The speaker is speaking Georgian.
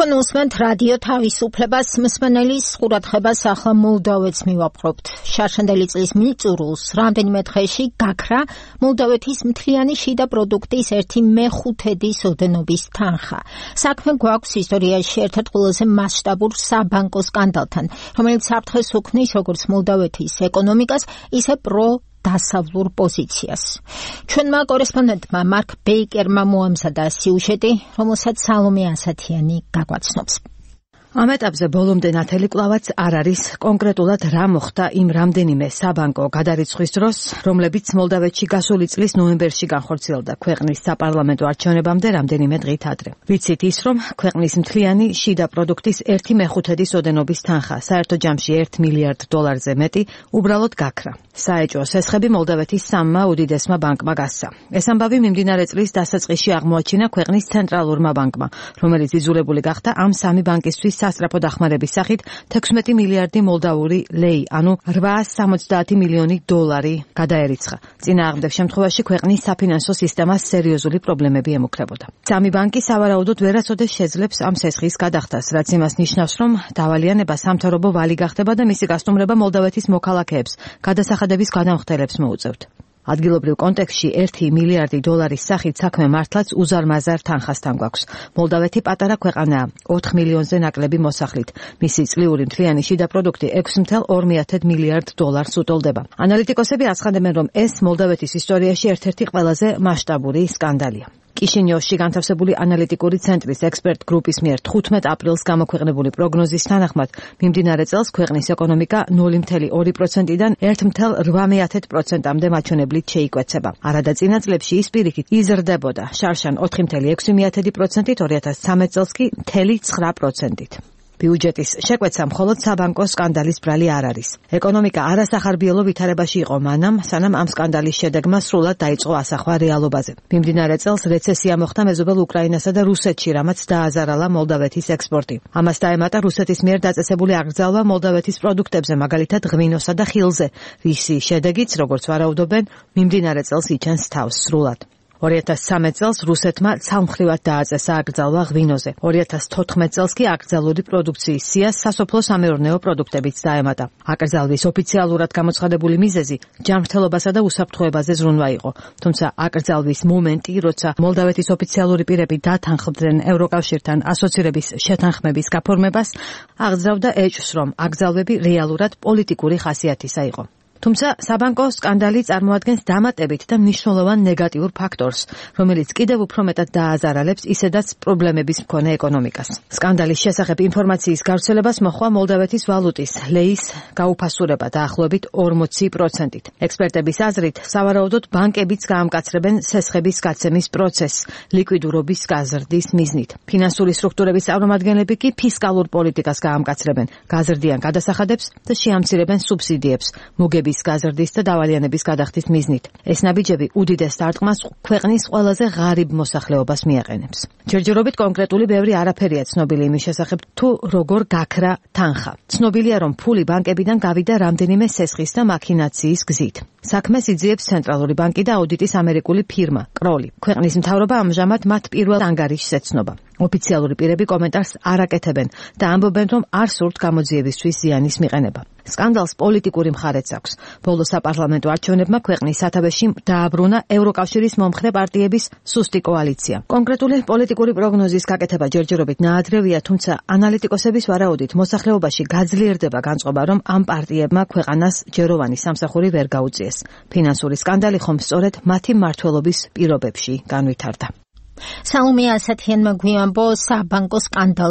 თქვენ უსმენთ რადიო თავისუფლებას, მსმენელის ყურადღებას ახლა მოლდოვეთს მივაპყრობთ. შარშანდელი წლის მიწურულს რამდენიმე დღეში გაქრა მოლდოვეთის მთლიანი შიდა პროდუქტის 1/5 ოდენობის თანხა. საქმე გვაქვს ისტორიაში ერთ-ერთ ყველაზე მასშტაბურ საბანკო სკანდალთან, რომელიც საფრთხეს უქმნის როგორც მოლდოვეთის ეკონომიკას, ისე დასავლურ პოზიციას. ჩვენმა კორესპონდენტმა მარკ ბეიკერმა მოამზადა სიუჟეტი, რომელსაც სალომე ასათიანი გაგვაცნობს. ამ ეტაპზე ბოლომდე ნათელი კვლავაც არ არის კონკრეტულად რა მოხდა იმ რამდენიმე საბანკო გადარიცხვის დროს, რომლებიც მოლდოვეთში გასული წლის ნოემბერში განხორციელდა ქვეყნის საპარლამენტო არჩევნებამდე რამდენიმე დღით ადრე. ვიცით ის, რომ ქვეყნის მთლიანი შიდა პროდუქტის 1/5 ოდენობის თანხა, საერთო ჯამში $1 მილიარდ მეტი, უბრალოდ გაქრა. საეჭვო სესხები მოლდოვეთის 3 უდიდესმა ბანკმა გასცა. ეს ამბავი მიმდინარე წლის დასაწყისში აღმოაჩინა ქვეყნის ცენტრალურმა ბანკმა, რომელიც იძულებული გახდა ამ სამი ბანკისთვის სასწრაფო დახმარების სახით 16 მილიარდი მოლდავური ლეი, ანუ $870 მილიონი გადაერიცხა. წინააღმდეგ შემთხვევაში ქვეყნის საფინანსო სისტემას სერიოზული პრობლემები ემუქრებოდა. სამი ბანკი სავარაუდოდ ვერასოდეს შეძლებს ამ სესხის გადახდას, რაც იმას ნიშნავს, რომ დავალიანება სამთავრობო ვალი გახდება და მისი გასტუმრება მოლდოვეთის მოქალაქეებს გადასახადების გადამხდელებს მოუწევთ. ადგილობრივ კონტექსტში $1 მილიარდი სახით საქმე მართლაც უზარმაზარ თანხასთან გვაქვს. მოლდოვეთი პატარა ქვეყანაა, 4 მილიონზე ნაკლები მოსახლით. მისი წლიური მთლიანი შიდა პროდუქტი $6.2 მილიარდ უტოლდება. ანალიტიკოსები აცხადებენ, რომ ეს მოლდოვეთის ისტორიაში ერთ-ერთი ყველაზე მასშტაბური სკანდალია. კიშინიოვში განთავსებული ანალიტიკური ცენტრის ექსპერტ გრუპის მიერ 15 აპრილს გამოქვეყნებული პროგნოზის თანახმად, მიმდინარე წელს ქვეყნის ეკონომიკა 0.2%-დან 1.8%-მდე მაჩვენებლით შეიკვეცება. არადა წინა წლებში ის პირიქით იზრდებოდა, შარშან 4.6%-ით, 2013 წელს კი 0.9%-ით. ბიუჯეტის შეკვეცა მხოლოდ საბანკო სკანდალის ბრალი არ არის. ეკონომიკა არასახარბიელო ვითარებაში იყო მანამ, სანამ ამ სკანდალის შედეგმა სრულად დაიწყო ასახვა რეალობაზე. მიმდინარე წელს რეცესია მოხდა მეზობელ უკრაინასა და რუსეთში, რამაც დააზარალა მოლდოვეთის ექსპორტი. ამას დაემატა რუსეთის მიერ დაწესებული აკრძალვა მოლდოვეთის პროდუქტებზე, მაგალითად ღვინოსა და ხილზე, რისი შედეგიც, როგორც ვარაუდობენ, მიმდინარე წელს იჩენს თავს სრულად. 2013 წელს რუსეთმა ცალმხრივად დააწესა აკრძალვა ღვინოზე. 2014 წელს კი აკრძალული პროდუქციის სიას სასოფლო-სამეურნეო პროდუქტებიც დაემატა. აკრძალვის ოფიციალურად გამოცხადებული მიზეზი ჯანმრთელობასა და უსაფრთხოებაზე ზრუნვა იყო. თუმცა აკრძალვის მომენტი, როცა მოლდოვეთის ოფიციალური პირები დათანხმდნენ ევროკავშირთან ასოცირების შეთანხმების გაფორმებას, აღძრავდა ეჭვს, რომ აკრძალვები რეალურად პოლიტიკური ხასიათისა იყო. თუმცა საბანკო სკანდალი წარმოადგენს დამატებით და მნიშვნელოვან ნეგატიურ ფაქტორს, რომელიც კიდევ უფრო მეტად დააზარალებს ისედაც პრობლემების მქონე ეკონომიკას. სკანდალის შესახებ ინფორმაციის გავრცელებას მოჰყვა მოლდოვეთის ვალუტის ლეის გაუფასურება დაახლოებით 40%-ით. ექსპერტების აზრით, სავარაუდოდ ბანკებიც გაამკაცრებენ სესხების გაცემის პროცესს ლიკვიდურობის გაზრდის მიზნით. ფინანსური სტრუქტურების წარმომადგენლები კი ფისკალურ პოლიტიკას გაამკაცრებენ, გაზრდიან გადასახადებს და შეამცირებენ სუბსიდიებს, მოგების გაზრდის და დავალიანების გადახდის მიზნით. ეს ნაბიჯები უდიდეს დარტყმას ქვეყნის ყველაზე ღარიბ მოსახლეობას მიაყენებს. ჯერჯერობით კონკრეტული ბევრი არაფერია ცნობილი იმის შესახებ, თუ როგორ გაქრა თანხა. ცნობილია, რომ ფული ბანკებიდან გავიდა რამდენიმე სესხის და მაქინაციის გზით. საქმეს იძიებს ცენტრალური ბანკი და აუდიტის ამერიკული ფირმა კროლი. ქვეყნის მთავრობა ამჟამად მათ პირველ ანგარიშს ეცნობა. ოფიციალური პირები კომენტარს არ აკეთებენ და ამბობენ, რომ არ სურთ გამოძიებისთვის ზიანის მიყენება. სკანდალს პოლიტიკური მხარეც აქვს. ბოლო საპარლამენტო არჩევნებმა ქვეყნის სათავეში დააბრუნა ევროკავშირის მომხრე პარტიების სუსტი კოალიცია. კონკრეტული პოლიტიკური პროგნოზის გაკეთება ჯერჯერობით ნაადრევია, თუმცა ანალიტიკოსების ვარაუდით მოსახლეობაში გაძლიერდება განწყობა, რომ ამ პარტიებმა ქვეყანას ჯეროვანი სამსახური ვერ გაუწიეს. ფინანსური სკანდალი ხომ სწორედ მათი მმართველობის პირობებში განვითარდა. სალომე ასათიანმა გვიამბო საბანკო სკანდალ